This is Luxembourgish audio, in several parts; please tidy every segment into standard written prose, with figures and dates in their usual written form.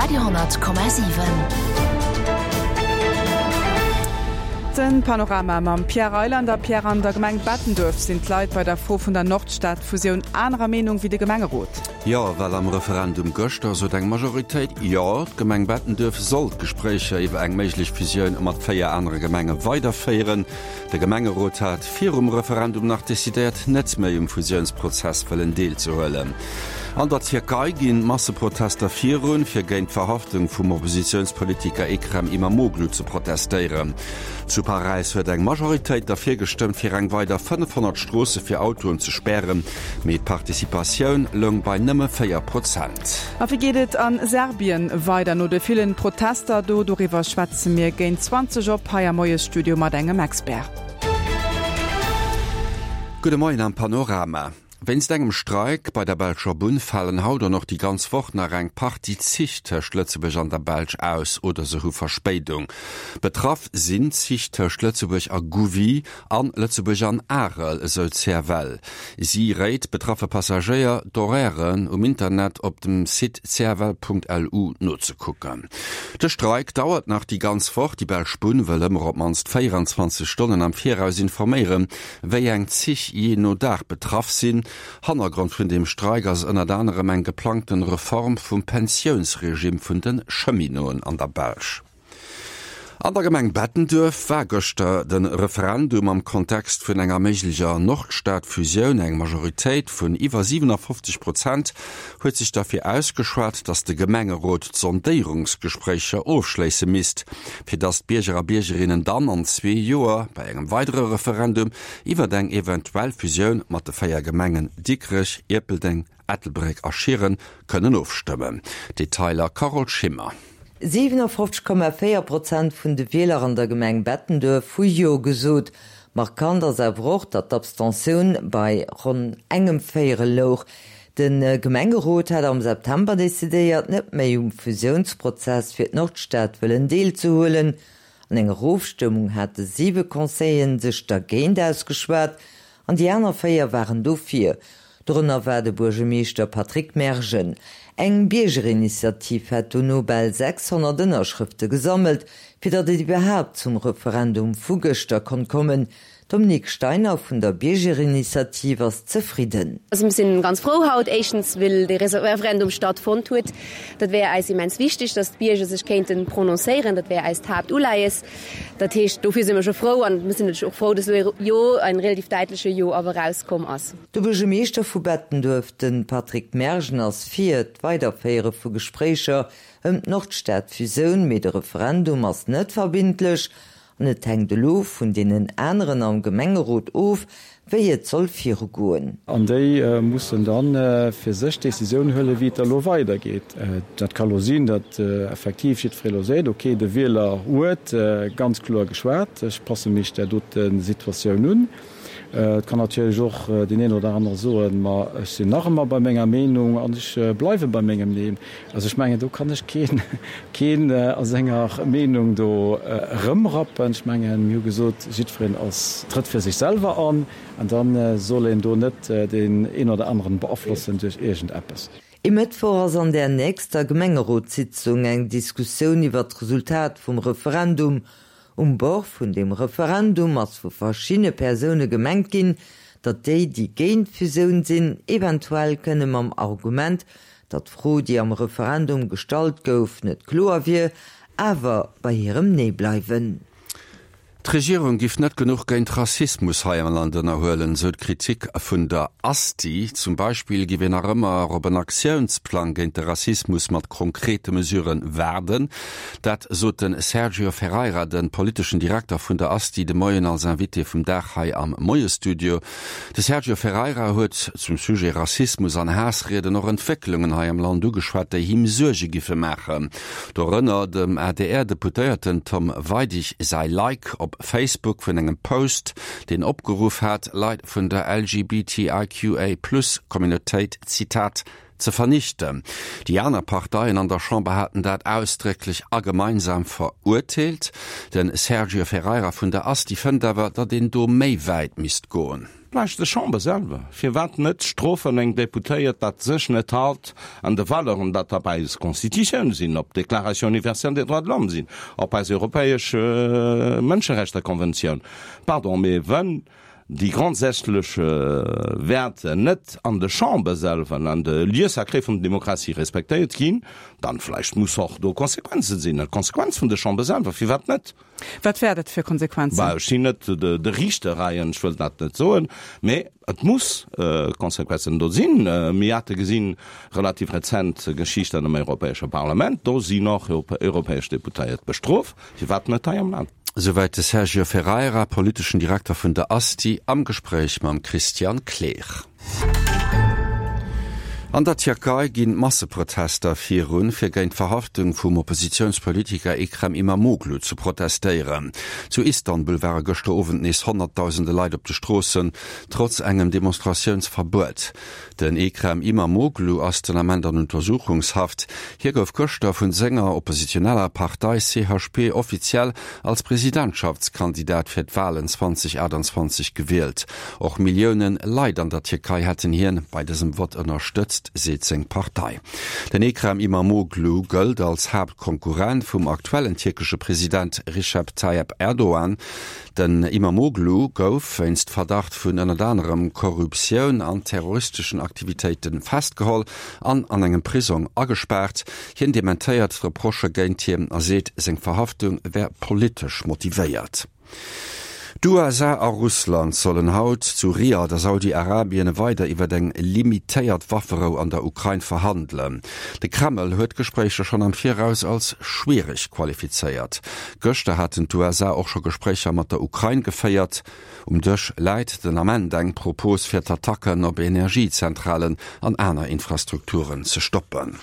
Radio 10,7. Den Panorama mam Pierre Reyland a Pierre, An der Gemeng Bettenduerf sinn d'Leit bei der Fro vun der Nordstad-Fusioun anerer Meenung wéi de Gemengerot. Jo, well am Referendum gëschter sot eng Majoritéit Jo, d'Gemeng Bettenduerf soll d'Gespréicher iwwer eng méiglech Fusioun mat 4 anere Gemenge weiderféieren. De Gemengerot hat virum Referendum nach decidéiert, net méi um Fusiounsprozess wëllen deelzehuelen. An der Tierkei ginn d'Masseprotester virun, fir géint d'Verhaftung vum Oppositiounspolitiker Ekrem Imamoglu ze protestéieren. Zu Paräis huet eng Majoritéit derfir gestëmmt, fir eng weider 500 Stroosse fir Autoen ze spären, mee d'Participatioun loung bei nëmme 4 Prozent. A wéi geet et a Serbien weider no de villen Protester do? Doriwwer schwätze mir géint 20 op hei am Moiesstudio mat engem Expert. Gudde Moien am Panorama. Wéinst engem Streik bei der belscher Bunn falen haut an och déi ganz Woch nach eng Partie Zich tëscht Lëtzebuerg an der Belsch aus oder se hu Verspéidung. Betraff sinn Zich tëscht Lëtzebuerg a Gouvy an Lëtzebuerg an Arel, esou d'CFL. Si réit betraffe Passagéier, d'Horairen um Internet op dem Site cfl.lu nozekucken. De Streik dauert nach déi ganz Woch. Déi belsch Bunn wëll ëmmer op d'mannst 24 Stonnen am Viraus informéieren, wéi eng Zich jee no Dag betraff sinn. Hannergrond vun deem Streik ass ënnert anerem eng geplangten Reform vum Pensiounsregime vun de Cheminoten an der Belsch. An der Gemeng Bettenduerf war gëschter de Referendum am Kontext vun enger méiglecher Nordstad-Fusioun. Eng Majoritéit vun iwwer 57 Prozent huet sech derfir ausgeschwat, datt de Gemengerot d'Sondéierungsgespréicher ofschléisse misst, fir datt d'Bierger a Biergerinnen dann an zwee Joer bei engem weidere Referendum iwwert eng eventuell Fusioun mat de 4 Gemengen Dikrech, Ierpeldeng, Ettelbréck a Schieren kënnen ofstëmmen. Detailer Carole Schimmer. 57,4 Prozent vun de Wieler an der Gemeng Bettenduerf hu Jo gesot. Markant ass awer och, datt d'Abstentioun bei ronn engem Véierel louch. De Gemengerot hat am September decidéiert, net méi um Fusiounsprozess fir d'Nordstad wëllen deelzehuelen. An enger Ofstëmmung hate siwe Conseilleren sech dergéint ausgeschwat an déi aner véier waren dofir. Dorënner war de Buergermeeschter Patrick Mergen. Eng Biergerinitiativ hat dono bal 600 Ënnerschrëfte gesammelt, fir datt et iwwerhaapt zum Referendum vu gëschter konnt kommen. D'Dominique Steiner vun der Biergerinitiativ ass zefridden. Also mir sinn ganz frou haut, éischtens well de Referendum stattfonnt huet. Dat wär eis immens wichteg, datt d'Bierger sech kéinten prononcéieren. Dat wär eist Haaptuleies. Dat heescht, dofir si mir scho frou an mir sinn natierlech och frou, datt elo e Jo, en relativ däitleche Jo awer erauskomm ass. De Buergermeeschter vu Bettenduerf, de Patrick Mergen, ass fir d'Weiderféiere vu Gespréicher ëm d'Nordstad-Fusioun, mee de Referendum ass net verbindlech An et hänkt elo vun deenen aneren am Gemengerot of, wéi et soll virugoen. An déi mussen da fir sech d'Decisioun huelen, wéi et da elo weidergeet. Dat ka elo sinn, datt effektiv jiddweree elo seet, okay, de Wieler huet ganz kloer geschwat, ech passe mech där dote Situatioun un. Et kann natierlech och deen een oder anere soen, ma ech sinn nach ëmmer bei menger Meenung an ech bleiwe bei mengem Neen. Also ech mengen, do kann ech keen, keen a senger Meenung do erëmrappen. Ech mengen, mir hu gesot, jiddwereen ass, trëtt fir sech selwer an an da soll een do net deen een oder aneren beaflossen duerch iergendeppes. E Mëttwoch ass an där nächster Gemengerotssitzung eng Diskussioun iwwer d'Resultat vum Referendum Um Bord vun deem Referendum ass vu verschiddene Persoune gemengt ginn, datt déi, déi géint d'Fusioun sinn, eventuell kënne mam Argument, datt d'Fro, déi am Referendum gestallt gouf, net kloer wier, awer bei hirem Nee bleiwen. D'Regierung giff net genuch géint Rassismus hei am Land ënnerhuelen, sou d'Kritik vun der Asti. Zum Beispill giff een nach ëmmer op en Aktiounsplang géint de Rassismus mat konkrete Mesurë waarden. Dat sot de Sergio Ferreira, de politeschen Direkter vun der Asti, de Moien als Invité vum Dag hei am Moiesstudio. De Sergio Ferreira huet zum Sujet Rassismus an Haassrieden och Entwécklungen hei am Land ugeschwat, déi him Suerge giffe maachen. Dorënner dem ADR-Deputéierten Tom Weidig säi Like op Facebook vun engem Post, deen opgeruff hat, Leit vun der LGBTIQA-Plus-Communautéit, Zitat, ze vernichten. Déi aner Parteien an der Chamber haten dat ausdrécklech a gemeinsam verurteelt. De Sergio Ferreira vun der Asti fënnt awer, datt een do méi wäit misst goen. Vläicht de Chamber selwer. Firwat net strofen eng Deputéiert, dat sech net halt an de Valeuren, dat op eis Constitutioun sinn, op d'Déclaration universelle des droits de l'homme sinn, op eis europäesch Mënscherechtekonventioun? Pardon, mee wenn déi grondsätzlech Wäerter net an de Chamber selwer an an de Lieux sacrés vun der Demokratie respektéiert ginn, dann vläicht muss och do Konsequenzen sinn, Konsequenz vun de Chamber selwer. Firwat net? Wat wär dat fir Konsequenzen? Bah, ech sinn net de Riichter hei an ech wëll dat net soen, mee et muss Konsequenzen do sinn. Mir hate gesinn, relativ rezent Geschicht an dem Europäesche Parlament, do sinn och europäesch Deputéiert bestrooft. Firwat net hei am Land? Souwäit de Sergio Ferreira, politeschen Direkter vun der ASTI, am Gespréich mam Christian Kleer. An der Tierkei ginn d'Masseprotester virun, fir géint d'Verhaftung vum Oppositiounspolitiker Ekrem Imamoglu ze protestéieren. Zu Istanbul ware gëschter Owend nees Honnertdausende Leit op de Stroossen, trotz engem Demonstratiounsverbuet. Den Ekrem Imamoglu ass den Ament an Untersuchungshaft. Hie gouf gëschter vun senger oppositioneller Partei CHP offiziell als Presidentschaftskandidat fir d'Walen 2028 gewielt. Och Millioune Leit an der Tierkei hätten hien bei dësem Vott ënnerstëtzt, seet seng Partei. Den Ekrem Imamoglu gëllt als Haaptkonkurrent vum aktuellen tierkesche President Recep Tayyip Erdogan. Den Imamoglu gouf wéinst Verdacht vun ënnert anerem Korruptioun an terroristeschen Aktivitéite festgeholl an an engem Prisong agespaart. Hien dementéiert d'Reprochë géint hien a seet, seng Verhaftung wär politesch motivéiert. D'USA a Russland sollen haut zu Riad a Saudi-Arabien weider iwwer eng limitéiert Wafferou an der Ukrain verhandelen. De Kreml huet d'Gespréicher schonn am Viraus als schwiereg qualifizéiert. Gëschter haten d'USA och scho Gespréicher mat der Ukrain geféiert. Um Dësch läit den Ament eng Propos fir d'Attacken op Energiezentralen an aner Infrastrukturen ze stoppen.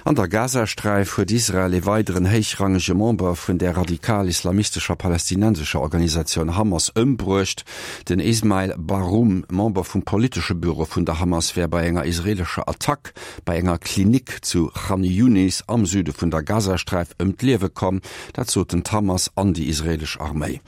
An der Gazasträif huet Israel ee weideren héichrangege Member vun der radikal-islamistescher palästinensescher Organisatioun Hamas ëmbruecht. Den Ismail Barhum, Member vum politesche Büro vun der Hamas, wär bei enger israeelescher Attack bei enger Klinik zu Chan Yunis am Süde vun der Gazasträif ëm d'Liewe komm. Dat soten d'Hamas an déi israeelesch Arméi.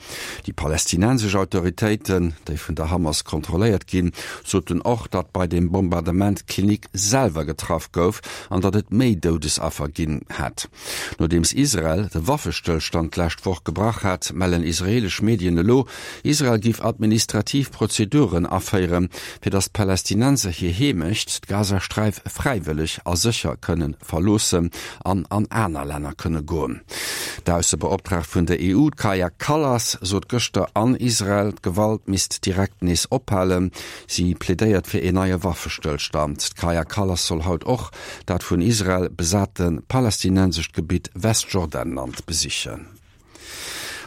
Déi palästinensesch Autoritéiten, déi vun der Hamas kontrolléiert ginn, soten och, datt bei dem Bombardement d'Klinik selwer getraff gouf an datt et méi Doudesaffer ginn hätt. Nodeems Israel de Waffestëllstand d'lescht Woch gebrach hat, mellen israeelesch Medien elo, Israel géif administrativ Prozeduren aféieren, fir datt d'Palästinenser hir Heemecht, d'Gazasträif, fräiwëlleg a sécher kënne verloossen an an aner Länner kënne goen. D'Aussebeoptraagt vun der EU, d'Kaja Kallas, sot gëschter an Israel, d'Gewalt misst direkt nees ophalen. Si plädéiert fir een neie Waffestëllstand. D'Kaja Kallas soll haut och dat vun Israel besate palästinensescht Gebitt Westjordanland besichen.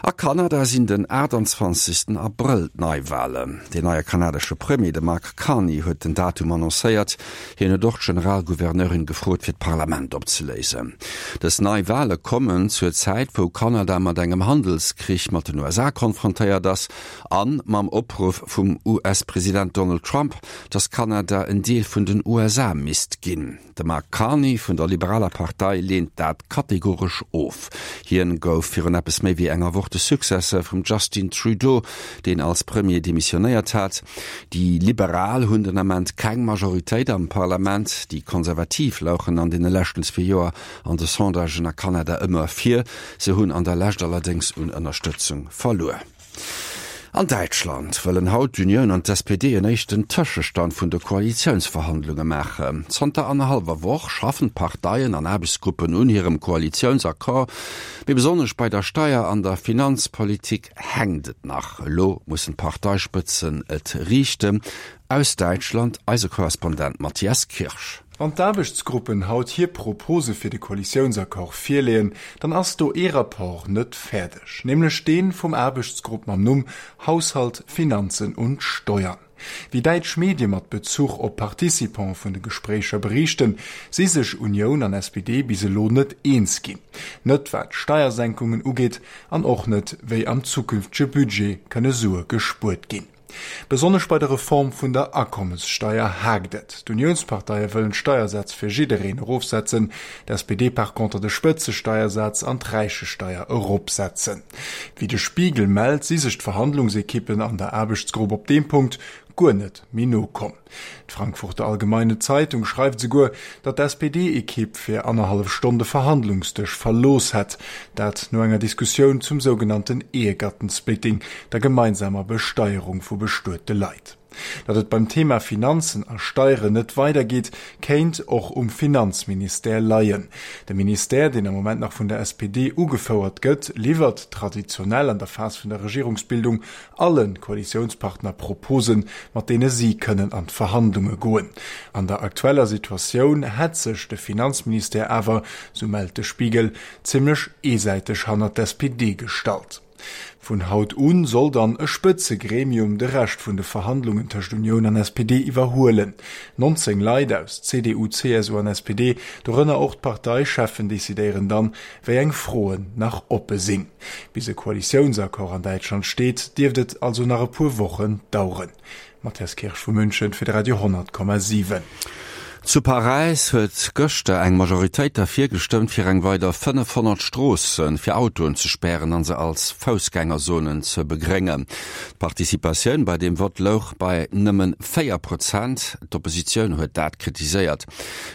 A Kanada sinn den 28 Abrëll d'Neiwalen. Deen neie kanadesche Premier, de Mark Carney, huet den Datum annoncéiert. Hien huet och d'Generalgouverneurin gefrot, fir d'Parlament opzeléisen. Dës Neiwale kommen zur Zäit, wou Kanada mat engem Handelskrich mat den USA konfrontéiert ass a mam Opruff vum US-President Donald Trump, datt Kanada en Deel vun den USA misst ginn. De Mark Carney vun der liberaler Partei leent dat kategoresch of. Hien gouf virun eppes méi wéi enger Woch de Successeur vum Justin Trudeau, deen als Premier demissionéiert hat. Déi Liberal hunn den Ament keng Majoritéit am Parlament. Déi Konservativ louchen an deene leschten zwee Joer an de Sondagen a Kanada ëmmer vir. Se hunn an der Lescht allerdéngs un Ënnerstëtzung verluer. An Däitschland wëllen haut d'Unioun an d'SPD en éischten Tëschestand vun de Koalitiounsverhandlunge maachen. Zanter annerhallwer Woch schaffen d'Parteien an Aarbechtsgruppen un hirem Koalitiounsaccord. Mee besonnesch bei der Steier an der Finanzpolitik hänkt et nach. Elo mussen d'Parteispëtzen et riichten. Aus Däitschland eise Korrespondent Matthias Kirsch. Wann d'Aarbechtsgruppen haut hir Propose fir de Koalitiounsaccord virleeën, dann ass do ee Rapport net fäerdeg, nämlech dee vum Aarbechtsgrupp mam Numm Haushalt, Finanzen und Steuern. Wéi däitsch Medie mat Bezuch op Participante vun de Gespréicher beriichten, si sech Unioun an SPD bis elo net eens ginn. Net wat d'Steiersenkungen ugeet an och net, wéi am zukünftege Budget kënne Sue gespuert ginn. Besonnesch bei der Reform vun der Akommessteier haakt et. D'Uniounsparteie wëllen d'Steiersätz fir jiddereen erofsetzen, d'SPD par contre de Spëtzesteiersaz an d'Räichesteier eropsetzen. Wéi de Spiegel mellt, si sech d'Verhandlungsekippen an der Aarbechtsgrupp op deem Punkt guer net méi no komm. D'Frankfurter Allgemeine Zeitung schreift esouguer, datt d'SPD-Ekipp fir annerhallef Stonn de Verhandlungsdësch verlooss hätt, dat no enger Diskussioun zum sougenannten Ehegattensplitting, der gemeinsamer Besteierung vu bestuete Leit. Datt et beim Thema Finanzen a Steieren net weidergeet, kéint och um Finanzministère leien. De Ministère, deen am Moment nach vun der SPD ugefouert gëtt, liwwert traditionell an der Phas vun der Regierungsbildung alle Koalitiounspartner Proposen, mat deene si kënnen an d'Verhandlunge goen. An der aktueller Situatioun hätt sech de Finanzministère awer, sou mellt de Spiegel, zimmlech eesäiteg hannert d'SPD gestallt. Vun haut u soll dann e Spëtzegremium de Rescht vun de Verhandlungen tëscht Unioun an SPD iwwerhuelen. 19 Leit aus CDU, CSU an SPD, dorënner och d'Parteicheffen, decidéieren dann, wéi eng Froen nach oppe sinn. Bis e Koalitiounsaccord an Däitschland steet, dierft et also nach e puer Wochen daueren. Matthias Kirsch vu München fir de Radio 10,7. Zu Paräis huet gëschter eng Majoritéit derfir gestëmmt, fir eng weider 500 Stroosse fir Autoen ze spären an se als Foussgängerzonen ze begréngen. D'Participatioun bei deem Vott louch bei nëmme 4 Prozent. D'Oppositioun huet dat kritiséiert.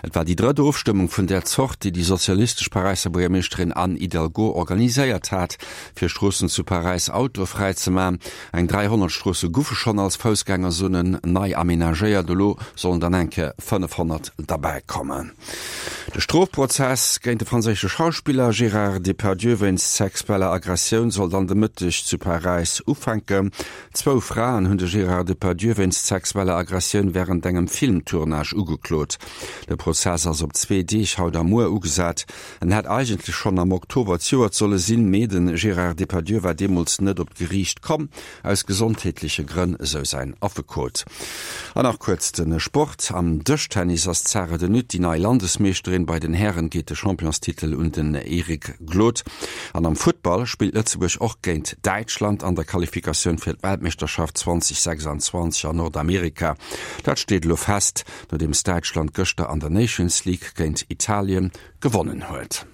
Et war déi drëtt Ofstëmmung vun där Zort, déi déi sozialistesch Paräisser Buergermeeschterin Anne Hidalgo organiséiert hat, fir Stroossen zu Paräis autofräi ze man. Eng 300 Stroosse guffe schonn als Foussgängerzonen nei amenagéiert, elo sollen dann eng Kéier 500 derbäi kommen. De Strofprozess géint de franséische Schauspiller Gérard Depardieu wéinst sexueller Aggressioun soll dann de Mëtteg zu Paräis ufänken. Zwou Fraen hunn de Gérard Depardieu wéinst sexueller Aggressioun wärend engem Filmtournage ugeklot. De Prozess ass op zwee Deeg, haut a muer, ugesat. En hätt eigentlech schonn am Oktober zejoert solle sinn, mee de Gérard Depardieu war deemools net op d'Geriicht komm, aus gesondheetleche Grënn, esou säin Affekot. An nach kuerz de Sport, Am Dëschtennis ass d'Sarah de Nutte déi nei Landesmeeschterin. Bei den Hären geet de Championstitel un den Eric Glod. An am Futtball spillt Lëtzebuerg och géint Däitschland an der Qualifikatioun fir d'Weltmeeschterschaft 2026 an Nordamerika. Dat steet elo fest, nodeems Däitschland gëschter an der Nations League géint Italien gewonnen huet.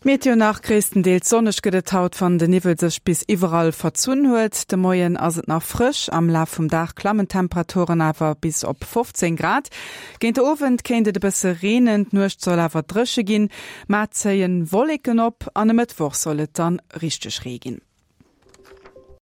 D'Meteo nach, Gréisstendeels sonneg gëtt et haut, wann de Niwwel sech bis iwwerall verzunn huet. De Moien ass et nach frësch, am Laf vum Dag klammen d'Temperaturen awer bis op 15 Grad. Géint de Owend kéint et e bësse reenen, d'Nuecht soll awer dréche ginn. Mar zéien Wolleken op an e Mëttwoch soll et dann richteg Ree ginn.